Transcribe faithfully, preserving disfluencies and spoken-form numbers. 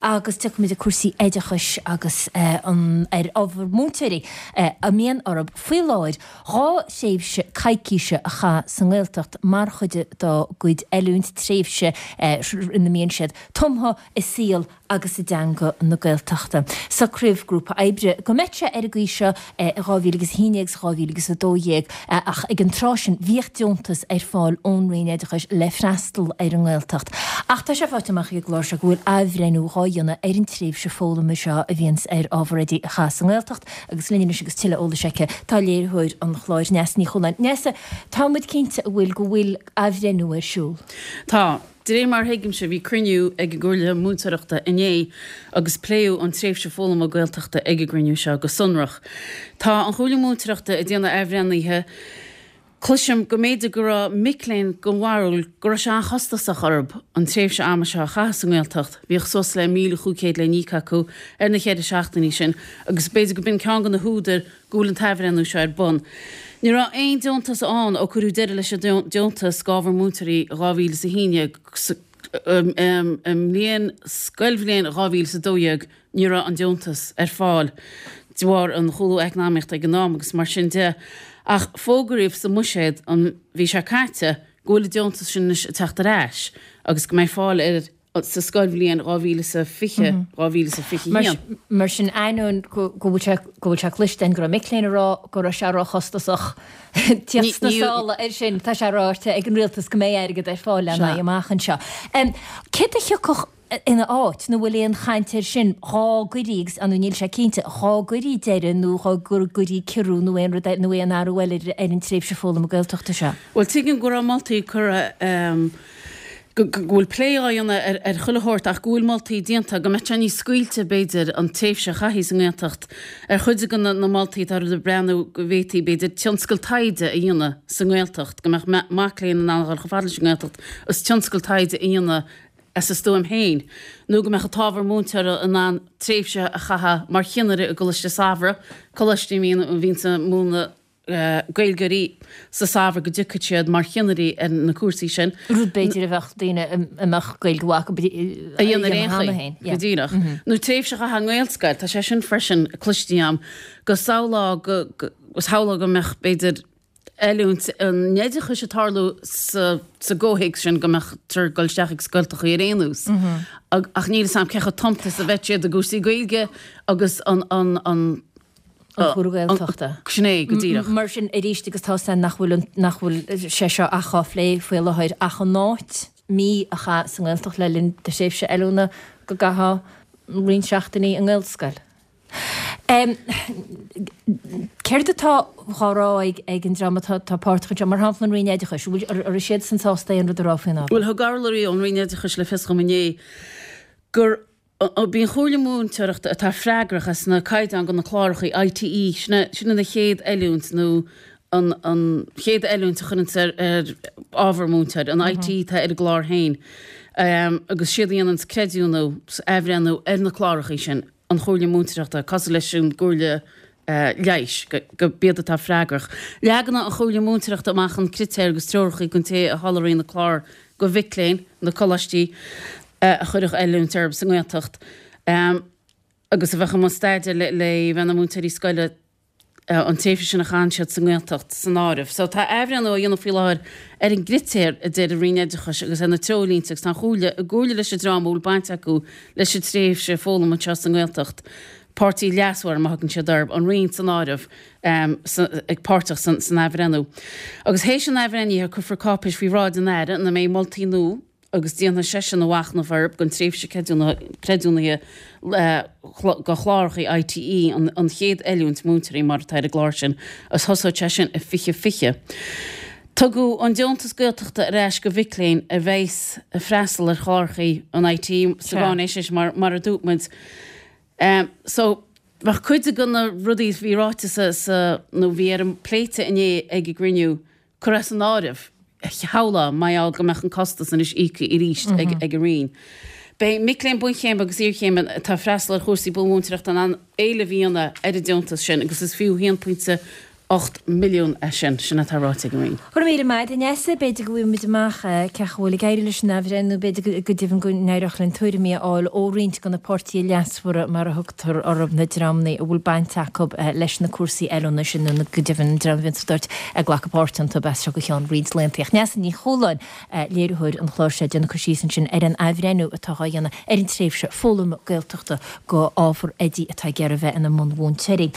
Agus tiocfaimid ag cúrsaí oideachais agus an ar ábhar múinteoirí a mbíonn orthu faoi láthair dhá thréimhse coicíse a chaitheamh sa nGaeltacht mar chuid dá gcuid oiliúint, tréimhse ina mbíonn siad tumtha i saol agus i dteanga na Gaeltachta. Socraíodh grúpa oibre go mbeadh sé ar an gcaoi seo i dhá mhíle agus a haon déag agus dhá mhíle agus a dó dhéag ach ag an tráth sin bhíodh deontas ar fáil ón Roinn Oideachais le freastal ar an nGaeltacht. Ach tá sé faighte amach ag an gclár seo go bhfuil athbhreithniú dhá dhéanamh ar an tréimhse foghlama seo a bhíonns ar ábhar oidí a chaitheamh sa nGaeltacht agus linn anois agus tuilleadh eolais aici tá léiritheoir an chláir Neasa Ní Chualáin. Neasa, tá muid cinnte an bhfuil go bhfuil athbhreithniú ar siúl? Tá. De réir mar a thuigimse, bhí cruinniú ag an gComhairle Múinteoireachta inné agus pléadh an tréimhse foghlama Gaeltachta ag an gcruinniú seo go sonrach. Tá an Chomhairle Múinteoireachta ag déanamh athbhreithnithe. Cloisim go mb'fhéidir go raibh mic léinn den bharúil go raibh sé an-chostasach orthu an tréimhse ama seo a chaitheamh sa nGaeltacht, bhíodh suas le míle chúig chéad le n-íoc acu ar na ceithre seachtainí sin agus b'fhéidir go b'in ceann de na húdair go bhfuil an t-athbhreithniú seo ar bun. Ní raibh aon deontas ann ó cuireadh deireadh leis an deontas d'ábhar múinteoirí i dhá mhíle is a haon déag. I mbliain, scoilbhliain dhá mhíle is a dó dhéag, ní raibh an deontas ar fáil de bharr an chúlú eacnamaíochta ag an am agus mar sin de. Ach fógraíodh sa mbuiséad an mhí seo caite go bhfuil an deontas sin anois ag teacht ar ais agus go mbeidh fáil air sa scoilbhliain dhá mhíle is a fiche, dhá mhíle is a fiche a haon. Mar sin, ainneoin go bhfuil sé go bhfuil sé cloiste againn go raibh mic léinn ag rá go raibh sé róchostasach tíocht sna sála air sin, tá sé ráite ag an rialtas go mbeidh airgead ar fáil lena aghaidh amach anseo. Céard a thiocfadh ina áit, nó bhfuil aon chaint air sin, dhá gcuirí, agus ar ndóigh níl sé cinnte, dhá gcuirí deireadh nó dhá gcuirí ciorrú nó aon rud nó aon athrú eile ar an tréimhse foghlama Gaeltachta seo? Bhuel, tuigim go raibh moltaí curtha go bhfuil plé á dhéanamh ar chuile shórt ach go bhfuil moltaí déanta go mbeadh sé níos scaoilte, b'fhéidir, an tréimhse a chaithfí sa nGaeltacht. Ar chuid de na moltaí atá ag breathnú go bhféadfaí, b'fhéidir, tionscal taighde a dhéanamh sa nGaeltacht, go mbeadh mac léinn in ann a dhul chomh fada leis an nGaeltacht agus tionscal taighde a dhéanamh as a stuaim féin, nó go mbeadh an t-ábhar múinteora in ann tréimhse a chaitheamh mar chinnire i gColáiste Samhraidh, coláistí a bhíonns ag múineadh. Gaeilgeoirí sa samhradh go dtiocfadh siad mar chinnirí ar na cúrsaí sin. Rud b'fhéidir a bheadh daoine a mbeadh Gaeilge mhaith acu a dhéanamh ar aon chaoi, go díreach. Nó tréimhse a chaitheamh i nGaelscoil, tá sé sin freisin cloiste agam, go samhlófá go, shamhlófá go mbeadh b'fhéidir oiliúint an oideachais ag tarlú sa sa gcomhthéacs sin go mbeadh triúr ag dul isteach ag scoltachaí ar aon nós. Ach níl 'fhios a'm cé chomh tumtha is a bheadh siad i gcúrsaí Gaeilge agus an an an An cúlra Gaeltachta. Sin é, go díreach. Mar sin, arís, agus tá 'fhios a'inn nach bhfuil, nach bhfuil sé seo ach á phlé faoi láthair, ach in áit mí a chaitheamh sa nGaeltacht le linn do thréimhse oiliúna, go gcaithfeá roinnt seachtainí i nGaelscoil. Céard atá á rá ag an dream atá páirteach anseo, mar shampla an Roinn Oideachais, an bhfuil, an raibh siadsan sásta aon rud a rá faoin ábhar? Bhuel, thug urlabhraí ón Roinn Oideachais le fios dhom inné gur B'í an Chomhairle Múinteoireachta atá freagrach as na caighdeáin do na cláracha I T E, sin sin an chéad oiliúint nó an an chéad oiliúint a chuireanns ar ar ábhar múinteoir, an I T E atá ar an gclár féin. Agus siad a dhéananns creidiúnú 's athbhreithniú ar na cláracha sin, an Chomhairle Múinteoireachta, cosúil leis an gComhairle Leighis, go b'iad atá freagrach. Leagann an Chomhairle Múinteoireachta amach an critéir agus treoracha don té a sholáthraíonn na cláir do mhic léinn, na coláistí a chuirfeadh oiliúint orthu sa nGaeltacht agus a bheadh i mbun staidéir le bheith ina múinteoirí scoile an tréimhse sin a chaitheann siad sa nGaeltacht san áireamh. So tá athbhreithniú á dhéanamh faoi láthair ar an gcritéar, a deir an Roinn Oideachais, agus ar na treoirlínte agus tá an Chomhairle i gcomhairle leis an dream a bhfuil baint acu leis an tréimhse foghlama anseo sa nGaeltacht, páirtí leasmhar mar a thugann siad orthu, an Roinn san áireamh, ag páirteach san athbhreithniú. Agus théis an athbhreithnithe cuirfear cáipéis faoi bhráid an Aire ina mbeidh moltaí nua agus déanfaidh seisean a mhachnamh orthu don tréimhse creidiúnaithe do chláracha I T E, an chéad oiliúint múinteoirí mar atá ar an gclár sin, agus thosódh sé sin i fiche fiche. Tugadh an deontas Gaeltachta ar ais do mhic léinn a bheas ag freastal ar chláracha an I T E sa gcáinaisnéis mar mar a dúirt muid. So, bheadh cuid de na rudaí a bhí ráite sa, sa, nó bhí ar an pléite inné ag an gcruinniú, curtha as an áireamh, shamhlófá, mar gheall go mbeadh an costas anois íoctha arís ag ag an Roinn. Beidh mic léinn bunchéime agus iarchéime atá ag freastal ar chúrsaí buanmhúinteoireachta in ann éileamh a dhéanamh ar an deontas sin agus is fiú a haon pointe ocht milliún é sin, sin atá ráite ag an Roinn. Go raibh míle maith agat, a Neasa. B'fhéidir go bhfaighidh muid amach cén chaoi a bhfuil ag éirí leis an athbhreithniú, b'fhéidir go deimhin go n-éireodh linn tuairimí a fháil ó roinnt de na páirtithe leasmhara, mar a thugtar orthu, na dreamanna a bhfuil baint acu leis na cúrsaí oiliúna sin nó go deimhin an dream a bhíonn sa dtoirt ag glacadh páirt iontu as seo go ceann roinnt laethanta. Ach Neasa Ní Chualáin, léiritheoir an chláir seo, ag déanamh cur síos ansin ar an athbhreithniú atá á dhéanamh ar an tréimhse foghlama Gaeltachta go ábhar oidí atá ag iarraidh a bheith ina mbunmhúinteoirí.